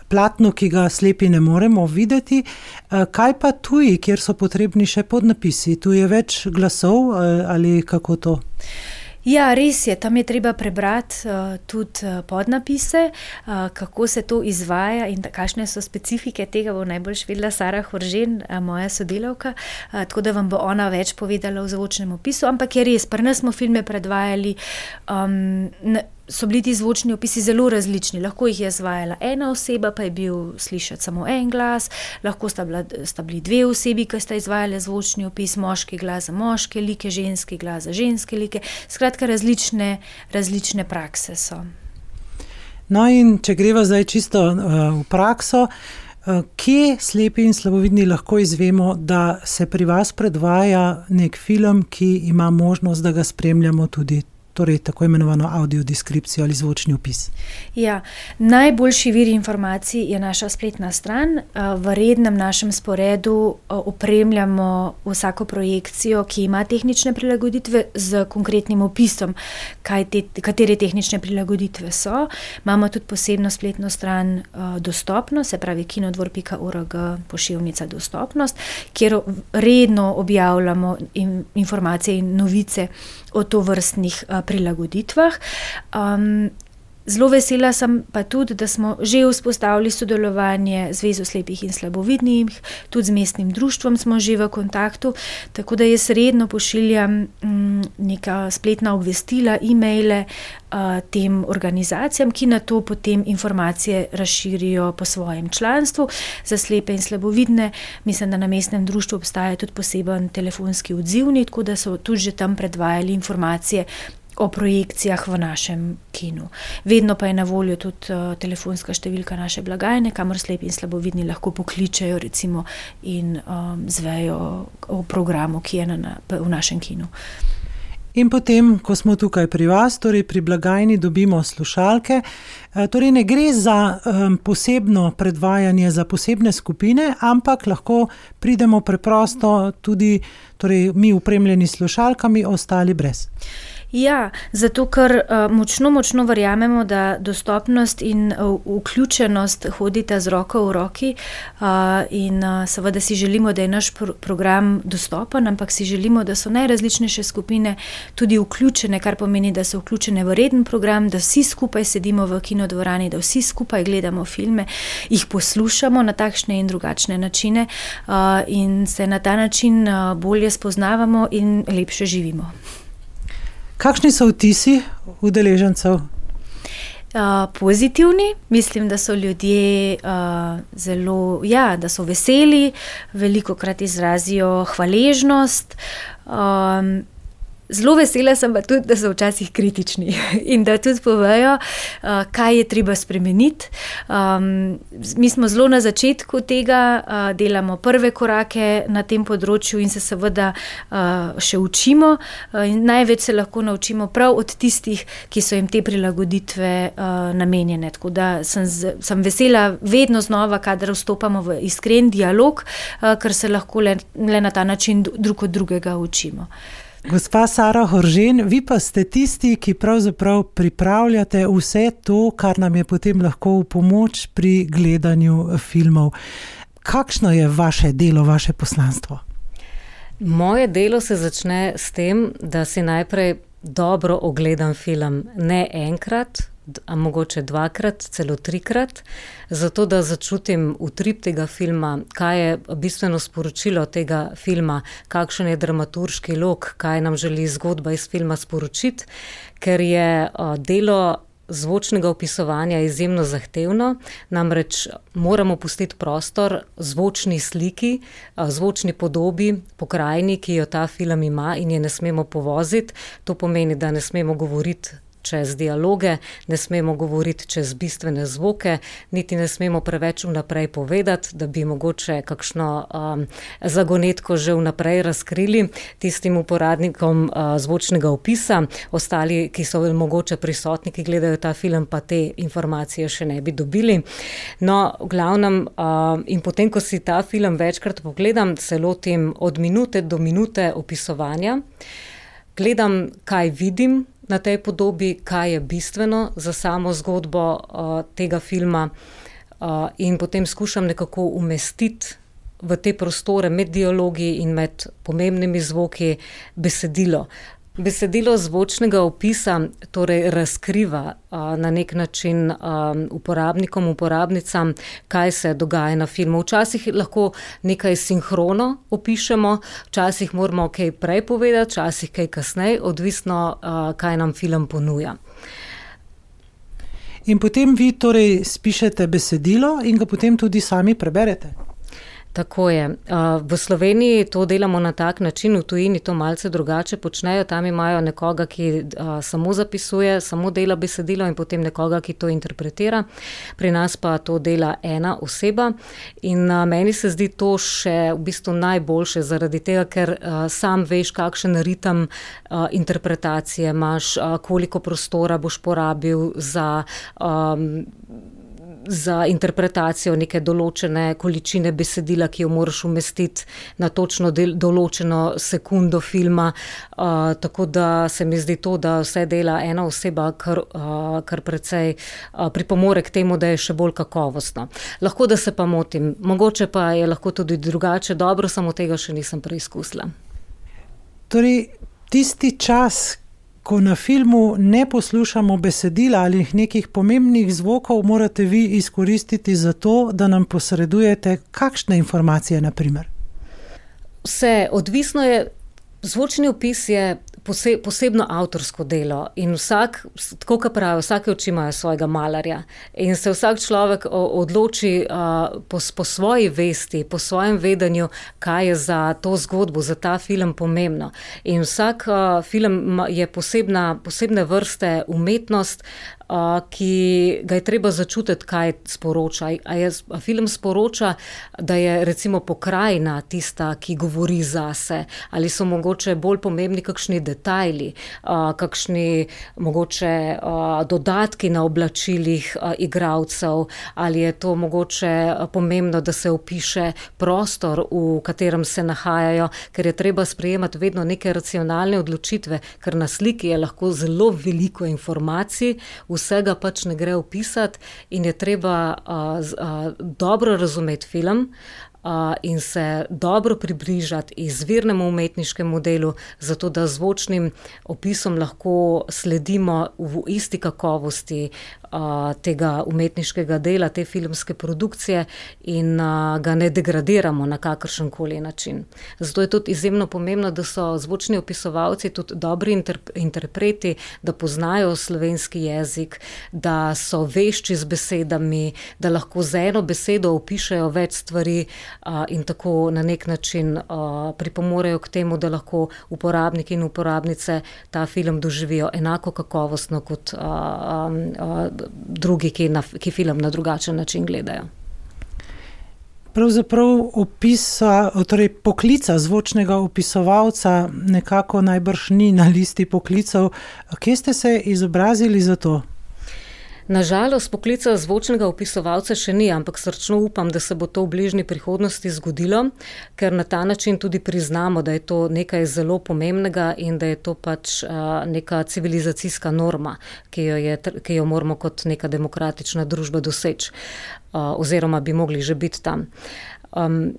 platnu, ki ga slepi ne moremo videti. Kaj pa tuji, kjer so potrebni še podnapisi? Tu je več glasov ali kako to? Ja, res je, tam je treba prebrati uh, tudi uh, podnapise, uh, kako se to izvaja in kakšne so specifike tega, bo najbolj vedela Sara Horžen, uh, moja sodelavka, uh, tako da vam bo ona več povedala v zvočnem opisu, ampak je res, pri nas smo filme predvajali, um, na, so bili ti zvočni opisi zelo različni, lahko jih je izvajala ena oseba, pa je bil slišati samo en glas, lahko sta, bila, sta bili dve osebi, ki sta izvajali zvočni opis, moški glas za moške like, ženski glas za ženske like, skratka različne, različne prakse so. No in če greva zdaj čisto uh, v prakso, uh, kje slepi in slabovidni lahko izvemo, da se pri vas predvaja nek film, ki ima možnost, da ga spremljamo tudi, torej tako imenovano audiodeskripcijo ali zvočni opis? Ja, najboljši vir informacij je naša spletna stran. V rednem našem sporedu opremljamo vsako projekcijo, ki ima tehnične prilagoditve z konkretnim opisom, kaj te, katere tehnične prilagoditve so. Imamo tudi posebno spletno stran dostopnost, se pravi kinodvor pika org pošiljka dostopnost, kjer redno objavljamo informacije in novice o tovrstnih prilagoditvah. Um, zelo vesela sem pa tudi, da smo že vzpostavili sodelovanje z Zvezo slepih in slabovidnih, tudi z mestnim društvom smo že v kontaktu, tako da jaz redno pošiljam um, neka spletna obvestila, e-maile uh, tem organizacijam, ki na to potem informacije razširijo po svojem članstvu. Za slepe in slabovidne mislim, da na mestnem društvu obstaja tudi poseben telefonski odzivnik, tako da so tudi že tam predvajali informacije o projekcijah v našem kinu. Vedno pa je na voljo tudi uh, telefonska številka naše blagajne, kamor slepi in slabovidni lahko pokličejo recimo in um, zvejo o programu, ki je na, na, v našem kinu. In potem, ko smo tukaj pri vas, torej pri blagajni dobimo slušalke, torej ne gre za um, posebno predvajanje za posebne skupine, ampak lahko pridemo preprosto tudi, torej mi opremljeni slušalkami, ostali brez. Ja, zato ker uh, močno, močno verjamemo, da dostopnost in uh, vključenost hodita z roko v roki uh, in uh, seveda si želimo, da je naš pro- program dostopen, ampak si želimo, da so najrazličnejše skupine tudi vključene, kar pomeni, da so vključene v reden program, da vsi skupaj sedimo v kinodvorani, da vsi skupaj gledamo filme, jih poslušamo na takšne in drugačne načine uh, in se na ta način uh, bolje spoznavamo in lepše živimo. Kakšni so vtisi udeležencev? Uh, pozitivni, mislim, da so ljudje uh, zelo, ja, da so veseli, velikokrat izrazijo hvaležnost. Um, Zelo vesela sem pa tudi, da so včasih kritični in da tudi povejo, uh, kaj je treba spremeniti. Um, mi smo zelo na začetku tega, uh, delamo prve korake na tem področju in se seveda uh, še učimo. Uh, in največ se lahko naučimo prav od tistih, ki so jim te prilagoditve uh, namenjene. Tako da sem, z, sem vesela vedno znova, kadar vstopamo v iskren dialog, uh, ker se lahko le, le na ta način drug od drugega učimo. Gospa Sara Horžen, vi pa ste tisti, ki pravzaprav pripravljate vse to, kar nam je potem lahko v pomoč pri gledanju filmov. Kakšno je vaše delo, vaše poslanstvo? Moje delo se začne s tem, da si najprej dobro ogledam film, ne enkrat, a mogoče dvakrat, celo trikrat, zato da začutim utrip tega filma, kaj je bistveno sporočilo tega filma, kakšen je dramaturški lok, kaj nam želi zgodba iz filma sporočiti, ker je delo zvočnega opisovanja izjemno zahtevno, namreč moramo pustiti prostor zvočni sliki, zvočni podobi, pokrajini, ki jo ta film ima in je ne smemo povoziti. To pomeni, da ne smemo govoriti čez dialoge, ne smemo govoriti čez bistvene zvoke, niti ne smemo preveč vnaprej povedati, da bi mogoče kakšno um, zagonetko že vnaprej razkrili tistim uporabnikom uh, zvočnega opisa. Ostali, ki so mogoče prisotni, ki gledajo ta film, pa te informacije še ne bi dobili. No, v glavnem, uh, in potem, ko si ta film večkrat pogledam, se lotim od minute do minute opisovanja, gledam, kaj vidim na tej podobi, kaj je bistveno za samo zgodbo uh, tega filma uh, in potem skušam nekako umestiti v te prostore med dialogi in med pomembnimi zvoki besedilo. Besedilo zvočnega opisa torej razkriva a, na nek način a, uporabnikom, uporabnicam, kaj se dogaja na filmu. Včasih lahko nekaj sinhrono opišemo, včasih moramo kaj prej povedati, včasih kaj kasneje, odvisno, a, kaj nam film ponuja. In potem vi torej spišete besedilo in ga potem tudi sami preberete? Tako je. V Sloveniji to delamo na tak način, v tujini to malce drugače počnejo. Tam imajo nekoga, ki samo zapisuje, samo dela besedilo in potem nekoga, ki to interpretira. Pri nas pa to dela ena oseba in meni se zdi to še v bistvu najboljše zaradi tega, ker sam veš, kakšen ritem interpretacije imaš, koliko prostora boš porabil za um, za interpretacijo neke določene količine besedila, ki jo moraš umestiti na točno del, določeno sekundo filma. Uh, tako da se mi zdi to, da vse dela ena oseba, kar, uh, kar precej uh, pripomore k temu, da je še bolj kakovostno. Lahko, da se pa motim. Mogoče pa je lahko tudi drugače. Dobro, samo tega še nisem preizkusila. Torej, tisti čas, ko na filmu ne poslušamo besedila ali nekih pomembnih zvokov, morate vi izkoristiti za to, da nam posredujete kakšne informacije, na primer? Vse, odvisno je, zvočni opis je pose, posebno avtorsko delo in vsak, tako kot pravijo, vsake oči imajo svojega malarja in se vsak človek odloči uh, po, po svoji vesti, po svojem vedenju, kaj je za to zgodbo, za ta film pomembno. In vsak uh, film je posebna, posebne vrste umetnost, ki ga je treba začutiti, kaj sporoča. A, je, a film sporoča, da je recimo pokrajina tista, ki govori zase, ali so mogoče bolj pomembni kakšni detajli, kakšni mogoče dodatki na oblačilih igralcev, ali je to mogoče pomembno, da se opiše prostor, v katerem se nahajajo, ker je treba sprejemati vedno neke racionalne odločitve, ker na sliki je lahko zelo veliko informacij, vsega pač ne gre opisati in je treba uh, uh, dobro razumeti film uh, in se dobro približati izvirnemu umetniškemu delu, zato da zvočnim opisom lahko sledimo v isti kakovosti uh, tega umetniškega dela, te filmske produkcije in uh, ga ne degradiramo na kakršenkoli način. Zato je tudi izjemno pomembno, da so zvočni opisovalci tudi dobri interp- interpreti, da poznajo slovenski jezik, da so vešči z besedami, da lahko z eno besedo opišejo več stvari uh, in tako na nek način uh, pripomorejo k temu, da lahko uporabniki in uporabnice ta film doživijo enako kakovostno kot uh, uh, drugi, ki, na, ki film na drugačen način gledajo. Pravzaprav opisa, torej poklica zvočnega opisovalca nekako najbrž ni na listi poklicev. Kje ste se izobrazili za to? Nažalost, poklica zvočnega opisovalca še ni, ampak srčno upam, da se bo to v bližnji prihodnosti zgodilo, ker na ta način tudi priznamo, da je to nekaj zelo pomembnega in da je to pač uh, neka civilizacijska norma, ki jo, je, ki jo moramo kot neka demokratična družba doseči, uh, oziroma bi mogli že biti tam. Um,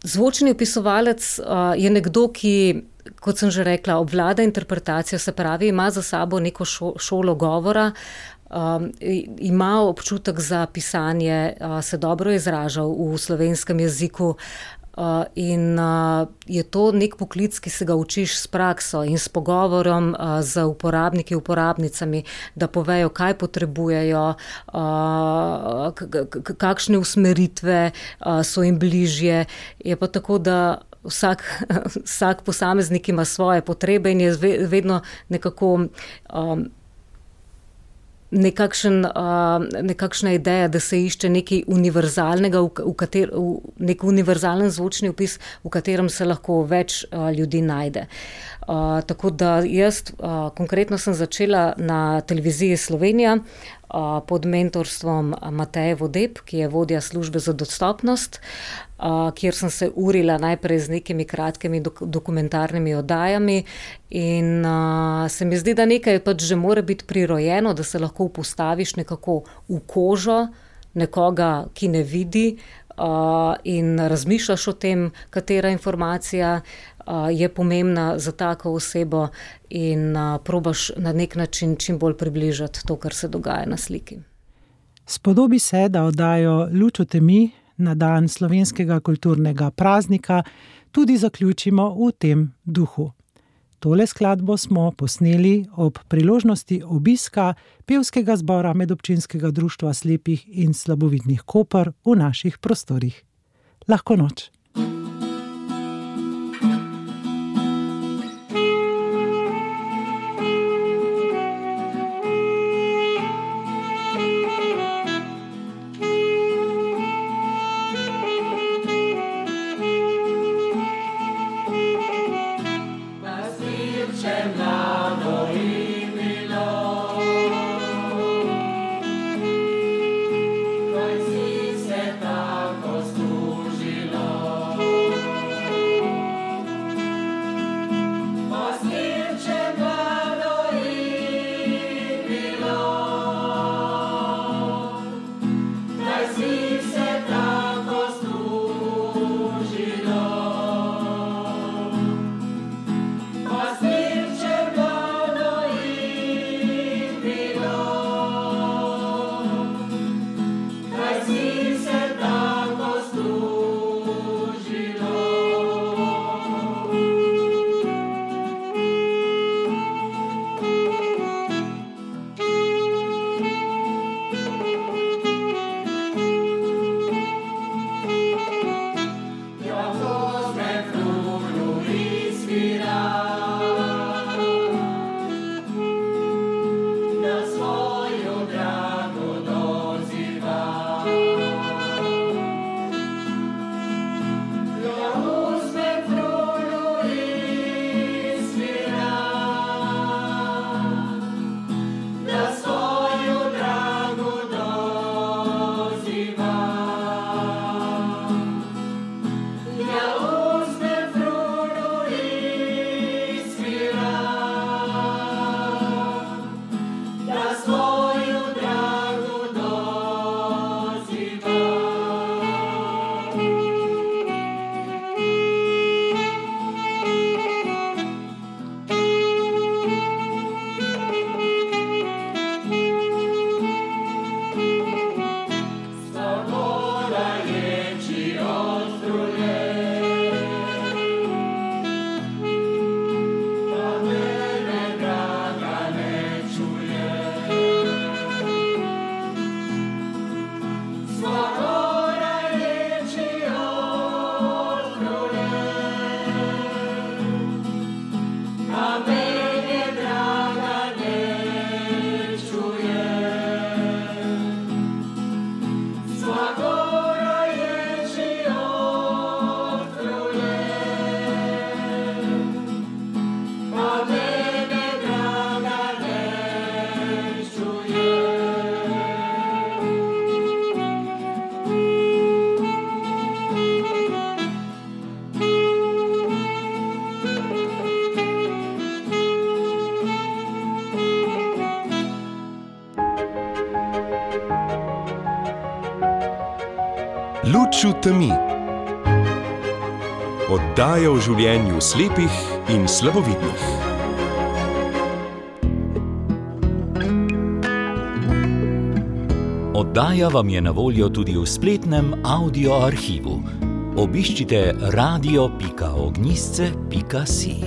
zvočni opisovalec uh, je nekdo, ki, kot sem že rekla, obvlada interpretacijo, se pravi, ima za sabo neko šo, šolo govora, Um, ima občutek za pisanje, uh, se dobro izraža v slovenskem jeziku uh, in uh, je to nek poklic, ki se ga učiš s prakso in s pogovorom uh, z uporabniki, uporabnicami, da povejo, kaj potrebujejo, uh, k- k- kakšne usmeritve uh, so jim bližje. Je pa tako, da Vsak, vsak posameznik ima svoje potrebe in je vedno nekako um, Nekakšen, uh, nekakšna ideja, da se išče nekaj univerzalnega, v, v kater, v nek univerzalen zvočni opis, v katerem se lahko več uh, ljudi najde. Uh, tako da jaz uh, konkretno sem začela na televiziji Slovenija uh, pod mentorstvom Mateje Vodeb, ki je vodja službe za dostopnost, uh, kjer sem se urila najprej z nekimi kratkimi dok- dokumentarnimi oddajami in uh, se mi zdi, da nekaj pač že mora biti prirojeno, da se lahko postaviš nekako v kožo nekoga, ki ne vidi uh, in razmišljaš o tem, katera informacija uh, je pomembna za tako osebo in uh, probaš na nek način čim bolj približati to, kar se dogaja na sliki. Spodobi se, da oddajo Luč v temi na dan slovenskega kulturnega praznika tudi zaključimo v tem duhu. Tole skladbo smo posneli ob priložnosti obiska pevskega zbora Medobčinskega društva slepih in slabovidnih Koper v naših prostorih. Lahko noč. Kaj si se tako služilo? Luč v temi. Oddaja o življenju slepih in slabovidnih. Oddaja vam je na voljo tudi v spletnem audio arhivu. Obiščite radio pika ognjisce pika si.